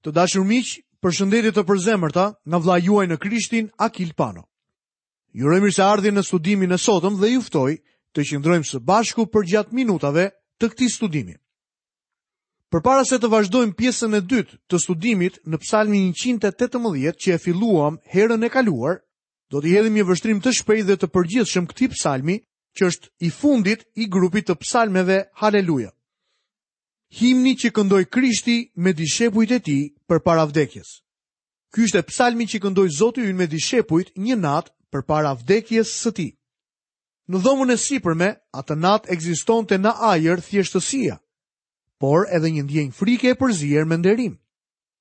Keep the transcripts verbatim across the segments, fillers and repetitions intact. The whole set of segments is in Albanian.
Të dashur miq, përshëndetje të përzemërta nga vëllai juaj në Krishtin, Akil Pano. Ju uroj mirëseardhje në studimin e sotëm dhe ju ftoj të qëndrojmë së bashku përgjatë minutave të këtij studimi. Përpara se të vazhdojmë pjesën e dytë të studimit në Psalmin njëqind e tetëmbëdhjetë që e filluam herën e kaluar, do t'i hedhim një vështrim të shpejtë dhe të përgjithshëm këtij psalmi, që është i fundit i grupit të psalmeve Haleluja. Himni që këndoi Krishti me dishepujt e tij përpara vdekjes. Ky ishte psalmi që këndoi Zoti ynë me dishepujt një natë përpara vdekjes së tij. Në dhomën e sipërme, atë natë ekzistonte në ajër thjeshtësia, por edhe një ndjenjë frike e përzier me nderim.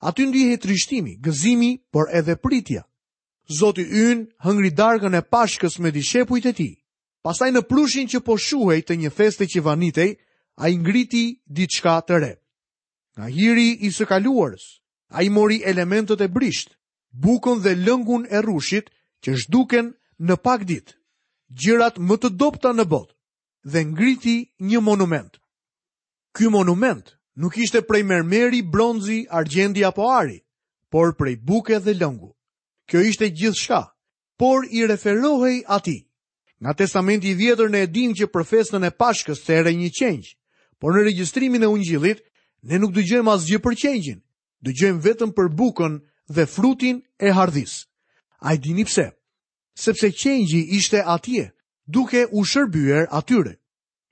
Aty ndihej trishtimi, gëzimi, por edhe pritja. Zoti ynë hëngri darkën e Pashkës me dishepujt e tij. Pastaj në prushin që po shuhej të një feste që vanitej, ai ngriti diçka të re. Nga hiri i së kaluarës, ai mori elementët e brisht, bukën dhe lëngun e rrushit që zhduken në pak ditë, gjërat më të dobta në botë, dhe ngriti një monument. Ky monument nuk ishte prej mermeri, bronzi, argjendi apo ari, por prej buke dhe lëngu. Kjo ishte gjithçka, por i referohej atij. Nga Testamenti i Vjetër ne e dimë që për festën e Pashkës thërrej një qengj, por në regjistrimin e Ungjillit ne nuk dëgjojmë asgjë për qengjin, dëgjojmë vetëm për bukën dhe frutin e hardhisë. A e dini pse? Sepse qengji ishte atje, duke u shërbyer atyre.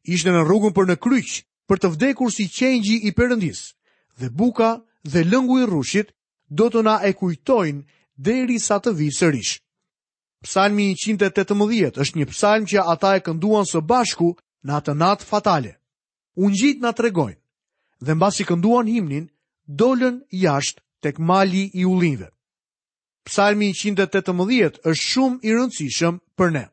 Ishte në rrugën për në kryq, për të vdekur si qengji i Perëndisë, dhe buka dhe lëngu i rrushit do të na e kujtojnë derisa të vijë sërish. Psalmi njëqind e tetëmbëdhjetë është një psalm që ata e kënduan së bashku në atë natë fatale. Ungjijt na tregojnë, dhe mbasi kënduan himnin, dolën jashtë tek mali i ullinjve. Psalmi njëqind e tetëmbëdhjetë është shumë i rëndësishëm për ne.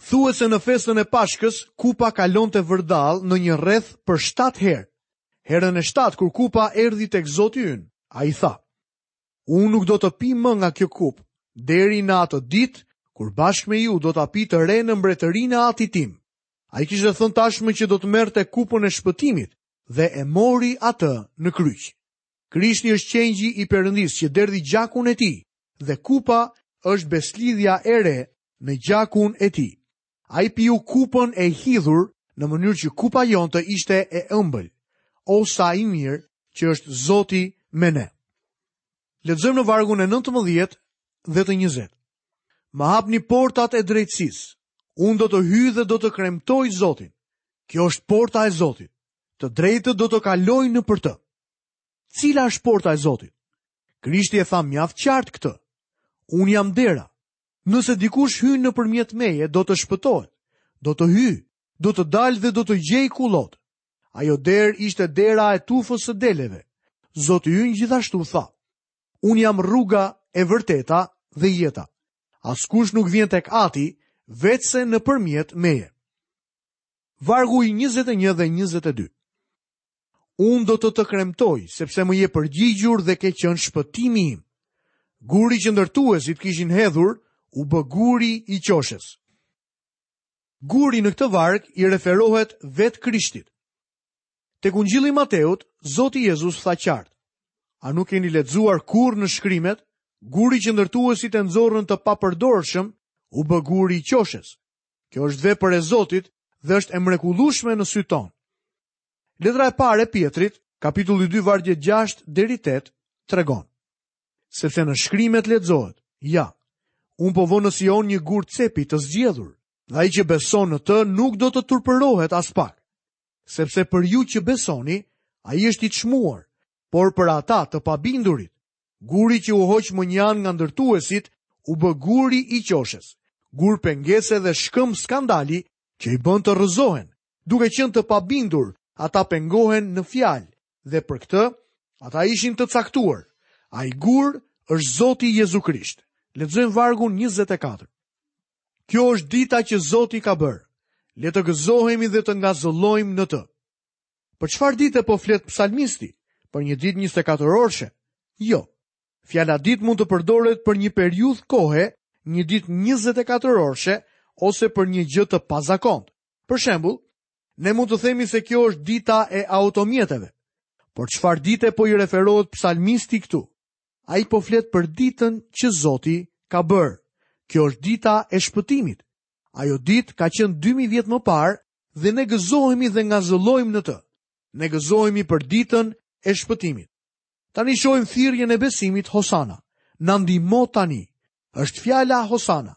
Thuhet se në festën e Pashkës, kupa kalonte vërdall në një rreth për shtatë herë. Herën e shtatë, kur kupa erdhi tek Zoti ynë, ai tha: Unë nuk do të pi më nga kjo kupë, deri në atë ditë, kur bashkë me ju do ta pi të re në mbretërinë e Atit tim. Ai kishte thënë tashmë që do të merrte kupën e shpëtimit dhe e mori atë në kryq. Krishti është qengji i Perëndisë që derdhi gjakun e tij dhe kupa është beslidhja e re në gjakun e tij. Ai piu kupën e hidhur në mënyrë që kupa jonë të ishte e ëmbël. O sa i mirë që është Zoti me ne. Lexojmë në vargun e nëntëmbëdhjetë dhe të njëzet. Më hapni portat e drejtësisë. Unë do të hyj dhe do të kremtoj Zotin. Kjo është porta e Zotit. Të drejtët do të kalojnë në për të. Cila është porta e Zotit? Krishti e tha mjaft qartë këtë. Unë jam dera. Nëse dikush hyn nëpërmjet meje, do të shpëtohet. Do të hyj, do të dalë dhe do të gjej kullot. Ajo derë ishte dera e tufës së deleve. Zoti ynë gjithashtu tha: Unë jam rruga e vërteta dhe jeta. Askush nuk vjen tek Ati veçse nëpërmjet meje. Vargu i njëzet e një dhe njëzet e dy. Unë do të të kremtoj, sepse më je përgjigjur dhe ke qenë shpëtimi im. Guri që ndërtuesit kishin hedhur, u bë guri i qoshes. Guri në këtë varg i referohet vetë Krishtit. Tek Ungjilli i Mateut, Zoti Jezus tha qartë: A nuk keni lexuar kurrë në shkrimet? Guri që ndërtuesit e nxorën të papërdorshëm, u bë guri i qoshes. Kjo është vepër e Zotit dhe është e mrekullueshme në sy ton. Letra e parë e Pietrit, kapitulli dy, vargje gjashtë deri tetë, tregon: Sepse në shkrimet lexohet: Ja, unë po vë në Sion një gur cepi të zgjedhur, dhe ai që beson në të nuk do të turpërohet as pak. Sepse për ju që besoni, ai është i çmuar, por për ata të pabindurit, guri që u hoq më njanë nga ndërtuesit, u bë guri i qoshes, gur pengese dhe shkëmb skandali që i bën të rrëzohen. Duke qenë të pabindur, ata pengohen në fjalë, dhe për këtë ata ishin të caktuar. Ai gur është Zoti Jezu Krisht. Lexojmë vargun njëzet e katër. Kjo është dita që Zoti ka bërë. Le të gëzohemi dhe të ngazëllojmë në të. Për çfarë dite po flet psalmisti? Për një ditë njëzet e katër orëshe? Jo. Fjala ditë mund të përdoret për një periudhë kohe, një ditë njëzet e katër orëshe ose për një gjë të pazakontë. Për shembull, ne mund të themi se kjo është dita e automjeteve. Por çfarë dite po i referohet psalmisti këtu? Ai po flet për ditën që Zoti ka bërë. Kjo është dita e shpëtimit. Ajo ditë ka qenë dy mijë vjet më parë dhe ne gëzohemi dhe ngazëllojmë në të. Ne gëzohemi për ditën e shpëtimit. Tani shohim thirrjen e besimit Hosana. Na ndihmo tani. Është fjala Hosana.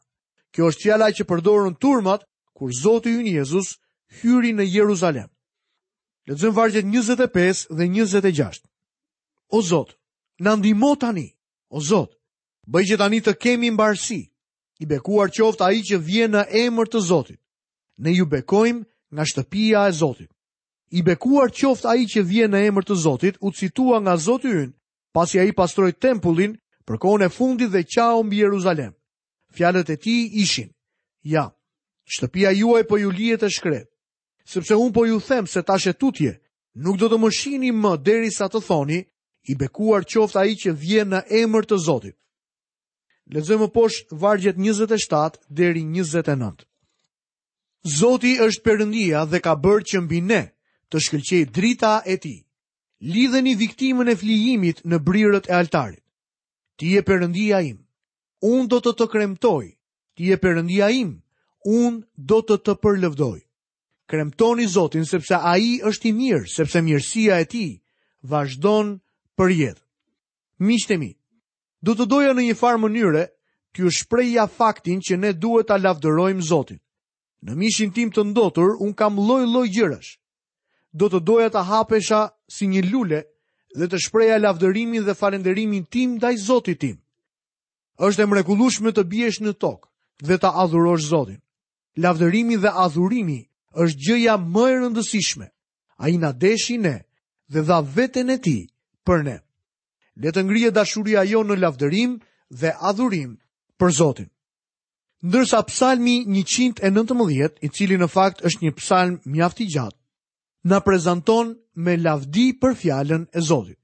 Kjo është fjala që përdorën turmat kur Zoti ynë Jezus hyri në Jeruzalem. Lexojmë vargjet njëzet e pesë dhe njëzet e gjashtë. O Zot, na ndihmo tani. O Zot, bëj që tani të kemi mbarësi. I bekuar qoftë ai që vjen në emër të Zotit. Ne ju bekojmë nga shtëpia e Zotit. I bekuar qoftë ai që vjen në emër të Zotit, u citua nga Zoti ynë, pasi ai pastroi tempullin për kohën e fundit dhe qau mbi Jeruzalem. Fjalët e tij ishin: Ja, shtëpia juaj po ju lihet e shkret, sepse unë po ju them se tash e tutje nuk do të më shihni më derisa të thoni, i bekuar qoftë ai që vjen në emër të Zotit. Lexojmë më poshtë vargjet njëzet e shtatë deri njëzet e nëntë. Zoti është Perëndia dhe ka bërë që mbi ne të shkëlqejë drita e tij. Lidheni viktimën e flijimit në brirët e altarit. Ti je Perëndia im, unë do të të kremtoj. Ti je Perëndia im, unë do të të përlëvdoj. Kremtoni Zotin sepse ai është i mirë, sepse mirësia e tij vazhdon për jetë. Miqtë e mi, do të doja në një farë mënyre t'ju shprehja faktin që ne duhet ta lavdërojmë Zotin. Në mishin tim të ndotur unë kam lloj-lloj gjërash. Do të doja ta hapesha si një lule dhe të shpreha lavdërimin dhe falënderimin tim ndaj Zotit tim. Është e mrekullueshme të biesh në tokë dhe ta adhurosh Zotin. Lavdërimi dhe adhurimi është gjëja më e rëndësishme. Ai na deshi ne dhe dha veten e tij për ne. Le të ngrihet dashuria jonë në lavdërim dhe adhurim për Zotin. Ndërsa psalmi njëqind e nëntëmbëdhjetë, i cili në fakt është një psalm mjaft i gjatë, na prezanton me lavdi për fjalën e Zotit.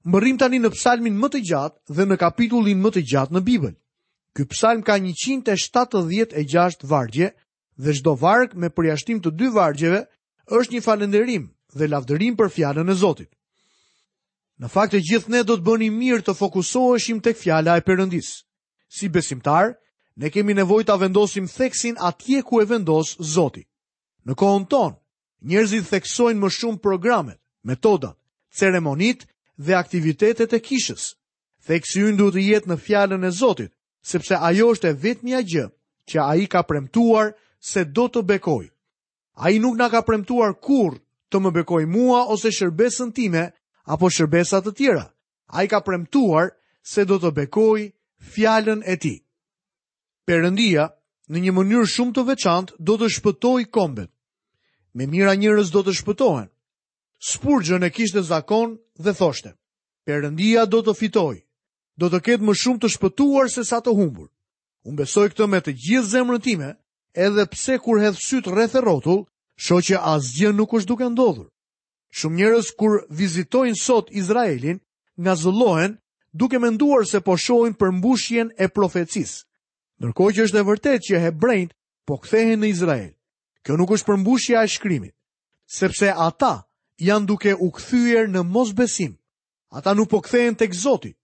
Mbërrim tani në psalmin më të gjatë dhe në kapitullin më të gjatë në Bibël. Ky psalm ka njëqind e shtatëdhjetë e gjashtë vargje dhe çdo varg me përjashtim të dy vargjeve është një falënderim dhe lavdërim për fjalën e Zotit. Në fakt të gjithë ne do të bënim mirë të fokusoheshim tek fjala e Perëndisë. Si besimtar, ne kemi nevojë ta vendosim theksin atje ku e vendos Zoti. Në kohën tonë, njerëzit theksojnë më shumë programet, metodat, ceremonitë dhe aktivitetet e kishës. Theksi ynë duhet të jetë në fjalën e Zotit, sepse ajo është e vetmja gjë që ai ka premtuar se do të bekojë. Ai nuk na ka premtuar kurrë të më bekojë mua ose shërbesën time apo shërbesa të tjera. Ai ka premtuar se do të bekojë fjalën e tij. Perëndia, në një mënyrë shumë të veçantë, do të shpëtojë kombet. Me mira njerëz do të shpëtohen. Spurgeon e kishte zakon dhe thoshte: Perëndia do të fitojë, do të ketë më shumë të shpëtuar se sa të humbur. Unë besoj këtë me të gjithë zemrën time, edhe pse kur hedh syt rreth e rrotull, shoh që asgjë nuk është duke ndodhur. Shumë njerëz kur vizitojnë sot Izraelin, ngazëllohen duke menduar se po shohin përmbushjen e profecisë. Ndërkohë që është e vërtetë që hebrejt po kthehen në Izrael. Kjo nuk është përmbushja e shkrimit, sepse ata janë duke u kthyer në mosbesim. Ata nuk po kthehen tek Zoti.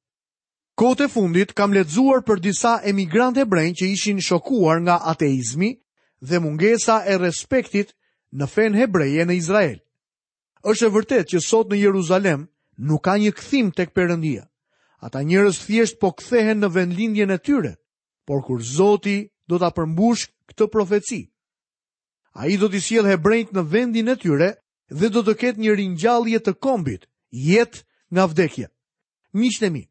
Kohët e fundit kam lexuar për disa emigrantë hebrejnë që ishin shokuar nga ateizmi dhe mungesa e respektit në fenë hebreje në Izrael. Është e vërtetë që sot në Jeruzalem nuk ka një kthim tek Perëndia. Ata njerëz thjesht po kthehen në vendlindjen e tyre, por kur Zoti do ta përmbush këtë profeci, ai do t'i sjellë hebrejt në vendin e tyre dhe do të ketë një ringjallje të kombit, jetë nga vdekja. Miqtë e mi,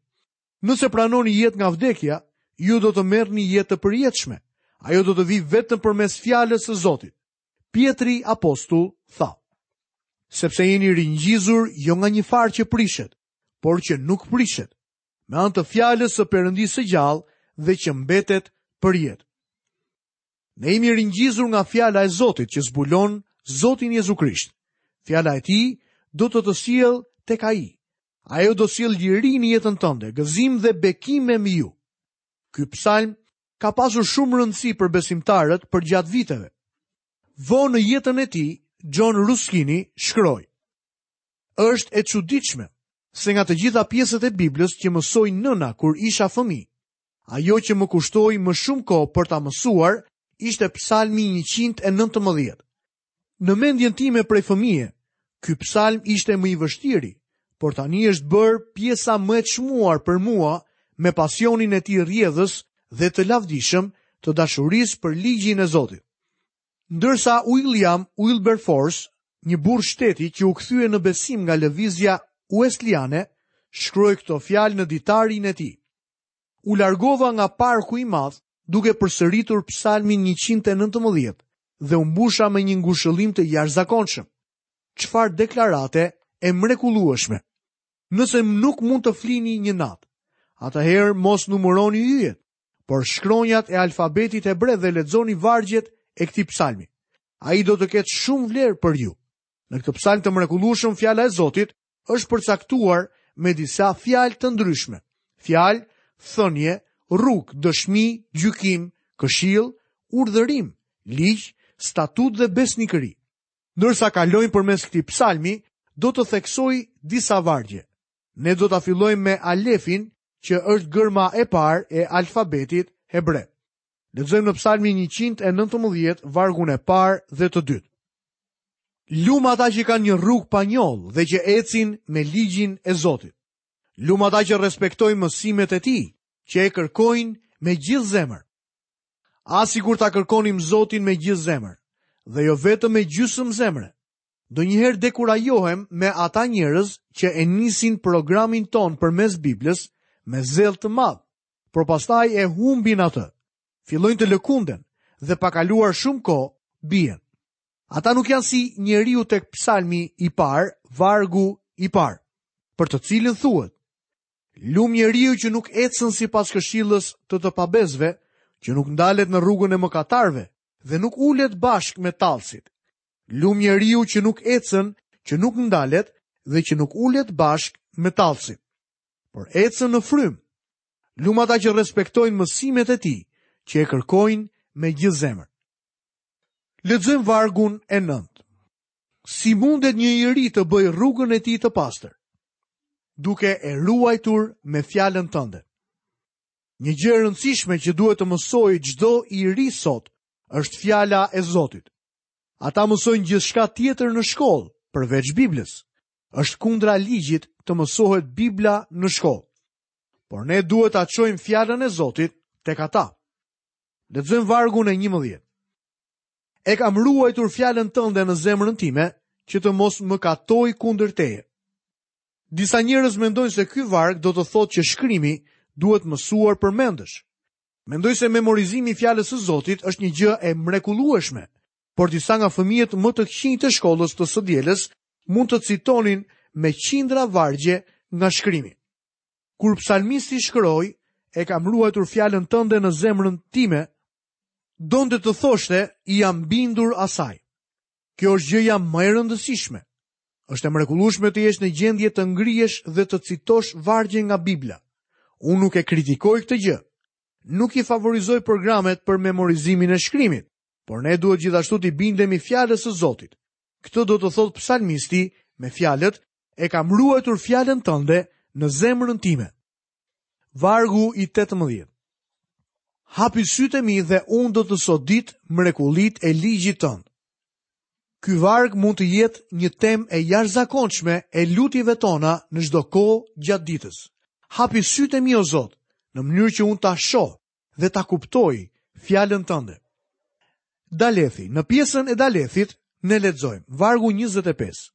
nëse pranoni jetë nga vdekja, ju do të merrni jetë të përjetshme. Ajo do të vijë vetëm përmes fjalës së Zotit. Pietri apostull tha: Sepse jeni ringjizur jo nga një farë që prishet, por që nuk prishet, me anë të fjalës së Perëndisë së gjallë dhe që mbetet për jetë. Ne jemi ringjizur nga fjala e Zotit që zbulon Zotin Jezu Krisht. Fjala e tij do të të sjellë tek ai. Ajo do sjellë liri në jetën tënde, gëzim dhe bekime mbi ju. Ky psalm ka pasur shumë rëndësi për besimtarët përgjatë viteve. Vonë në jetën e tij, John Ruskini shkroi: Është e çuditshme se nga të gjitha pjesët e Biblës që mësoi nëna kur isha fëmijë, ajo që më kushtoi më shumë kohë për ta mësuar ishte Psalmi njëqind e nëntëmbëdhjetë. Në mendjen time prej fëmije, ky psalm ishte më i vështiri, por tani është bërë pjesa më e çmuar për mua me pasionin e tij rrjedhës dhe të lavdishëm të dashurisë për ligjin e Zotit. Ndërsa William Wilberforce, një burrë shteti që u kthye në besim nga lëvizja Wesleyane, shkroi këto fjalë në ditarin e tij. U largova nga parku i madh duke përsëritur Psalmin njëqind e nëntëmbëdhjetë dhe u mbusha me një ngushëllim të jashtëzakonshëm. Çfarë deklarate e mrekullueshme! Nëse nuk mund të flini një natë, atëherë mos numëroni yjet, por shkronjat e alfabetit hebre dhe lexoni vargjet e këtij psalmi. Ai do të ketë shumë vlerë për ju. Në këtë psalm të mrekullueshëm fjala e Zotit është përcaktuar me disa fjalë të ndryshme. Fjalë, thënie, rrugë, dëshmi, gjykim, këshill, urdhërim, ligj, statut dhe besnikëri. Ndërsa kalojmë përmes këtij psalmi, do të theksoj disa vargje. Ne do ta fillojmë me alefin, që është gërma e parë e alfabetit hebre. Lexojmë në Psalmin njëqind e nëntëmbëdhjetë, vargun e parë dhe të dytë. Lum ata që kanë një rrugë pa njollë dhe që ecin me ligjin e Zotit. Lum ata që respektojnë mësimet e tij, që e kërkojnë me gjithë zemër. A sikur ta kërkonim Zotin me gjithë zemër, dhe jo vetëm me gjysmë zemre. Ndonjëherë dekurajohem me ata njerëz që e nisin programin ton përmes Biblës me zell të madh, por pastaj e humbin atë. Fillojnë të lëkunden dhe pa kaluar shumë kohë bien. Ata nuk janë si njeriu tek psalmi i parë, vargu i parë, për të cilin thuhet: Lum njeriu që nuk ecën sipas këshillës të të pabesëve, që nuk ndalet në rrugën e mëkatarëve dhe nuk ulet bashkë me tallësit. Lum njeriu që nuk ecën, që nuk ndalet dhe që nuk ulet bashkë me tallësit, por ecën në frymë. Lum ata që respektojnë mësimet e tij, që e kërkojnë me gjithë zemër. Lexojmë vargun e nëntë. Si mundet një i ri të bëjë rrugën e tij të pastër? Duke e ruajtur me fjalën tënde. Një gjë e rëndësishme që duhet të mësojë çdo i ri sot është fjala e Zotit. Ata mësojnë gjithçka tjetër në shkollë, përveç Biblës. Është kundra ligjit të mësohet Bibla në shkollë. Por ne duhet ta çojmë fjalën e Zotit tek ata. Lexojmë vargun e njëmbëdhjetë. E kam ruajtur fjalën tënde në zemrën time, që të mos më katoj kundër teje. Disa njerëz mendojnë se ky varg do të thotë që shkrimi duhet mësuar përmendësh. Mendoj se memorizimi i fjalës së Zotit është një gjë e mrekullueshme, por disa nga fëmijët më të këqinj të shkollës të së dielës mund të citonin me qindra vargje nga shkrimi. Kur psalmisti shkroi, e kam ruajtur fjalën tënde në zemrën time, donte të thoshte, i jam bindur asaj. Kjo është gjëja më e rëndësishme. Është e mrekullueshme të jesh në gjendje të ngrihesh dhe të citosh vargje nga Bibla. Unë nuk e kritikoj këtë gjë. Nuk i favorizoj programet për memorizimin e shkrimit, por ne duhet gjithashtu t'i bindemi fjalës së Zotit. Këtë do të thotë psalmisti me fjalët, e kam ruajtur fjalën tënde në zemrën time. Vargu i tetëmbëdhjetë. Hapi sytë e mi dhe unë do të sodit mrekullit e ligjit tënd. Ky varg mund të jetë një temë e jashtëzakonshme e lutjeve tona në çdo kohë gjatë ditës. Hapi sytë e mi, o Zot, në mënyrë që unë ta shoh dhe ta kuptoj fjalën tënde. Dalethi, në pjesën e Dalethit ne lexojmë vargu njëzet e pesë.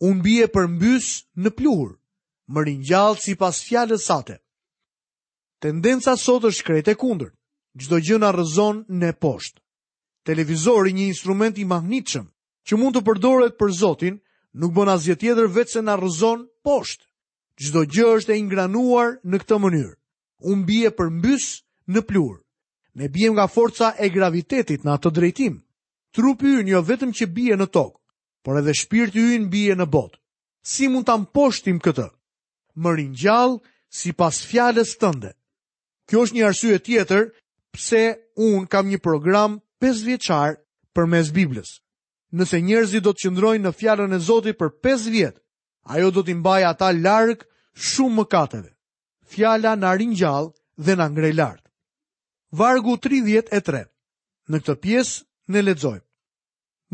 Unë bie përmbys në pluhur, më ringjall sipas fjalës sate. Tendenca sot është krejt e kundërt. Çdo gjë na rrëzon në poshtë. Televizori, një instrument i magnetshëm që mund të përdoret për Zotin, nuk bën asgjë tjetër vetëm se na rrëzon poshtë. Çdo gjë është e ingranuar në këtë mënyrë. Unë bie përmbys në pluhur. Ne biem nga forca e gravitetit në atë drejtim. Trupi ynë jo vetëm që bie në tokë, por edhe shpirti ynë bie në botë. Si mund ta mposhtim këtë? Më ringjall sipas fjalës tënde. Kjo është një arsye tjetër pse unë kam një program pesë vjeçar përmes Biblës. Nëse njerëzit do të qëndrojnë në fjalën e Zotit për pesë vjet, Ajo do t'i mbajë ata larg shumë mëkateve. Fjala na ringjall dhe na ngre lart. Vargu tridhjetë e tre. Në këtë pjesë ne lexojmë: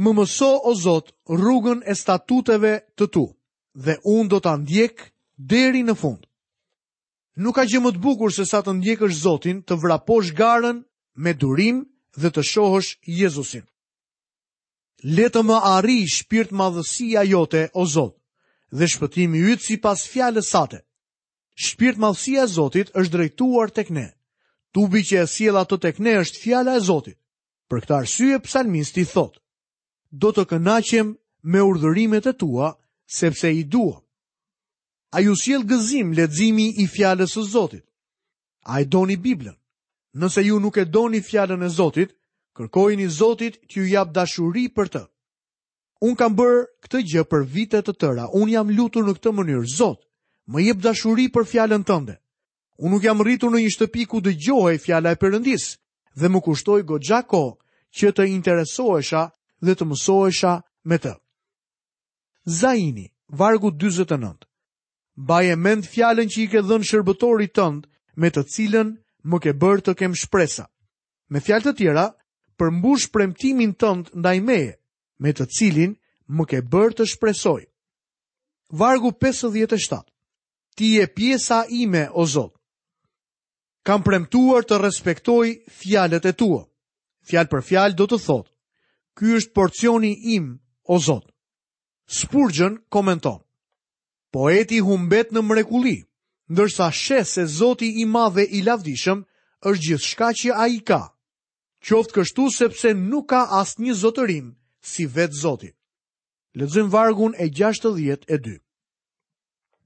Më mëso, o Zot, rrugën e statuteve të tu, dhe unë do ta ndjek deri në fund. Nuk ka gjë më të bukur se sa të ndjekësh Zotin, të vraposh garën me durim dhe të shohësh Jezusin. Le të më arrijë shpirtmadhësia jote, o Zot, dhe shpëtimi yt sipas fjalës sate. Shpirtmadhësia e Zotit është drejtuar tek ne. Tubi që e sjell atë tek ne është fjala e Zotit. Për këtë arsye psalmisti thotë: Do të kënaqem me urdhërimet e tua, sepse i dua. A ju sjell gëzim leximi i fjalës së Zotit? A e doni Biblën? Nëse ju nuk e doni fjalën e Zotit, kërkojini Zotit t'ju jap dashuri për të. Unë kam bërë këtë gjë për vite të tëra. Unë jam lutur në këtë mënyrë: Zot, më jep dashuri për fjalën tënde. Unë nuk jam rritur në një shtëpi ku dëgjohej fjala e Perëndisë dhe më kushtoi goxha kohë që të interesohesha dhe të mësohesha me të. Zaini, vargu dyzet e nëntë. Mbaje mend fjalën që i ke dhënë shërbëtorit tënd, me të cilën më ke bërë të kem shpresa. Me fjalë të tjera, përmbush premtimin tënd ndaj meje, me të cilin më ke bërë të shpresoj. Vargu pesëdhjetë e shtatë. Ti je pjesa ime, o Zot. Kam premtuar të respektoj fjalët e tua. Fjalë për fjalë do të thotë: Ky është porcioni im, o Zot. Spurgeon komenton: Poeti humbet në mrekulli, ndërsa sheh se Zoti i madh dhe i lavdishëm është gjithçka që ai ka. Qoftë kështu sepse nuk ka asnjë zotërim si vetë Zoti. Lexojmë vargun e gjashtëdhjetë e dy.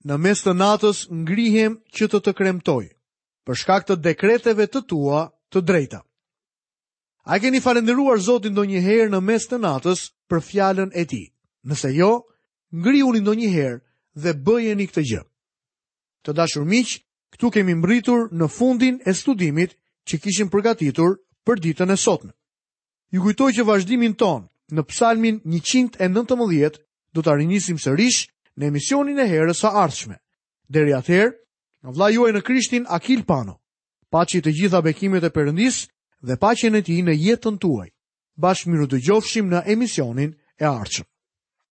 Në mes të natës ngrihem që të të kremtoj, për shkak të dekreteve të tua të drejta. A keni falënderuar Zotin ndonjëherë në mes të natës për fjalën e tij? Nëse jo, ngrihuni ndonjëherë dhe bëjeni këtë gjë. Të dashur miq, këtu kemi mbërritur në fundin e studimit që kishim përgatitur për ditën e sotme. Ju kujtoj që vazhdimin ton në Psalmin njëqind e nëntëmbëdhjetë do ta rinisim sërish në emisionin e herës së ardhshme. Deri atëherë, nga vëllai juaj në Krishtin Akil Pano. Paçi të gjitha bekimet e Perëndisë dhe paqen e tij në jetën tuaj. Bashkë mirudëgjofshim në emisionin e ardhshëm.